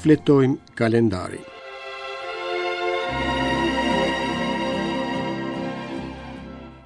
Shfletojmë kalendarin.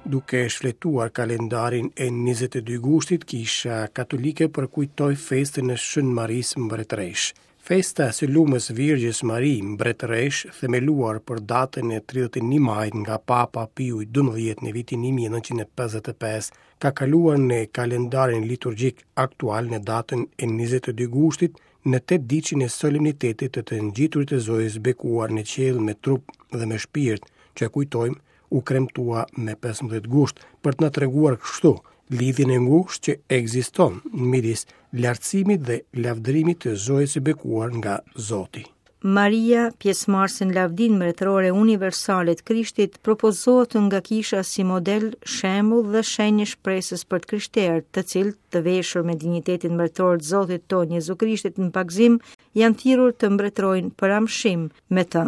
Duke shfletuar kalendarin e 22 gushtit, Kisha Katolike përkujtoi festën e Shën Marisë Mbretëreshë. Festa e së Lumës Virgjës Mari, Mbretëreshë, themeluar për datën e 31 majit nga Papa Piu i XII në vitin 1955, ka kaluar në kalendarin liturgjik aktual në datën e 22 gushtit në tetëditëshin e solemnitetit të të ngjiturit të Zojës bekuar në qiell me trup dhe me shpirt, që kujtojmë u kremtua me 15 gusht, për të na treguar kështu lidhjen e ngushtë që ekziston midis lartësimit dhe lavdërimit të Zojës së bekuar nga Zoti. Maria, pjesëmarrëse në lavdinë mbretërore universale të Krishtit, propozohet nga kisha si model, shembull dhe shenjë e shpresës për të krishterët, të cilët, të veshur me dinjitetin mbretëror të Zotit tonë Jezu Krishtit në pagëzim, janë thirrur të mbretërojnë për amshim me të.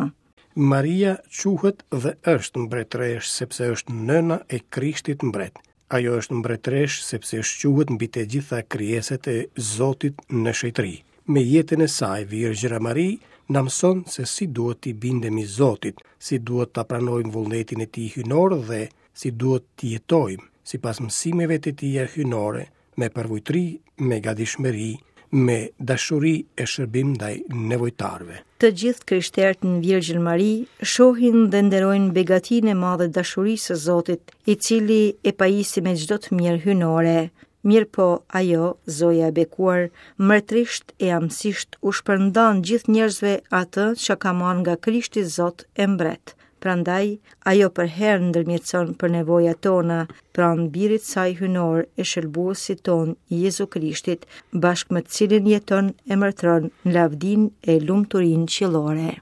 Maria quhet dhe është mbretëreshë sepse është nëna e Krishtit mbret. Ajo është mbretëreshë sepse shquhet mbi të gjitha krijesat e Zotit në shenjtëri. Me jetën e saj, Virgjëra Mari na mëson se si duhet t'i bindemi Zotit, si duhet ta pranojmë vullnetin e tij hyjnor dhe si duhet të jetojmë sipas mësimeve të tija hyjnore, me përvujtëri, me gatishmëri, me dashuri e shërbim ndaj nevojtarëve. Të gjithë të krishterët në Virgjën Mari shohin dhe nderojnë begatinë e madhe të dashurisë së Zotit, i cili e pajisi me çdo të mirë hyjnore. Mirëpo, ajo, Zoja e bekuar, mbretërisht e amësisht u shpërndan gjithë njerëzve atë që ka marrë nga Krishti Zot e Mbret. Prandaj, ajo përherë ndërmjetëson për nevojat tona, pranë Birit saj hyjnor e shëlbuesit tonë Jezu Krishtit, bashkë me të cilin jeton e mbretëron në lavdinë e lumturinë qiellore.